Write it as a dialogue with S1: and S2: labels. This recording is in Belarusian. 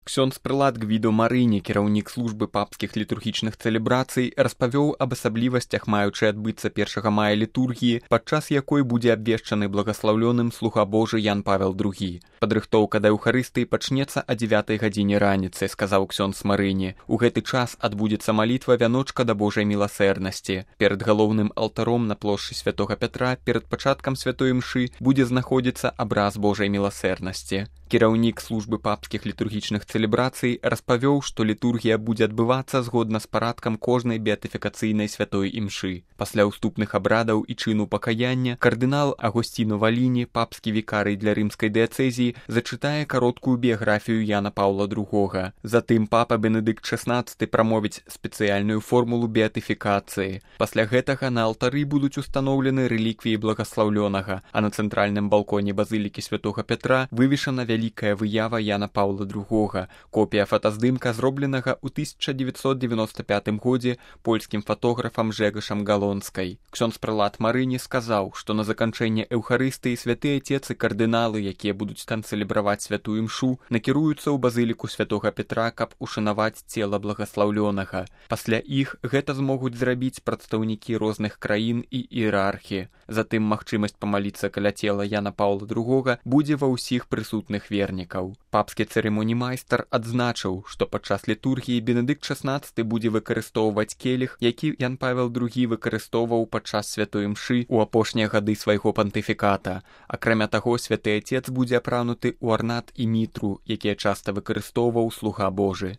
S1: Ксёндз прылад Гвідо Марыні, кіраўнік службы папскіх літургічных цэлебрацый, распавёў аб асаблівасцях маючай адбыцца 1 мая літургіі, падчас якой будзе абвешчаны благаслаўлёным слуга Божы Ян Павел II. Падрыхтоўка да Еўхарыстыі пачнецца о 9 гадзіне раніцы, сказаў ксёндз Марыні. У гэты час адбудзецца малітва вяночка да Божай міласэрнасці. Перад галоўным алтаром на плошчы Святога Пятра перад пачаткам святой імшы будзе знаходзіцца абраз Божай міласэрнасці. Кіраўнік службы папскіх літургічных цэлебрацый распавёў, што літургія будзе адбывацца згодна з парадкам кожнай беатыфікацыйнай святой імшы. Пасля ўступных абрадаў і чыну пакаяння кардынал Агосціно Валіні, папскі вікарый для рымскай дыяцэзіі, зачытае кароткую біяграфію Яна Паўла II. Затым папа Бенедыкт XVI прамовіць спецыяльную формулу беатыфікацыі. Пасля гэтага на алтары будуць устаноўлены рэліквіі благаслаўлёнага, а на цэнтральным балконе базылікі Святога Пятра вывешана вялікая выява Яна Паўла II, копія фотаздымка, зробленага ў 1995 годзе польскім фатографам Жэгашам Галонскай. Ксёндз прылад Марыні сказаў, што на заканчэнне Еўхарыстыі святы Отец і кардыналы, якія будуць там цэлебраваць святую імшу, накіруюцца ў базыліку Святога Петра, каб ушанаваць цела благаслаўлёнага. Пасля іх гэта змогуць зрабіць прадстаўнікі розных краін і іерархі. Затым магчымасць памаліцца каля цела Яна Паўла II будзе ва ўсіх прысутных вернікаў. Папскі цырымоніймайстар адзначыў, што падчас літургіі Бенедыкт XVI будзе выкарыстоўваць келіх, які Ян Павел II выкарыстоўваў падчас святой імшы ў апошнія гады свайго пантыфіката. Акрамя таго, святы Отец будзе апрануты ў арнат і мітру, якія часта выкарыстоўваў слуга Божы.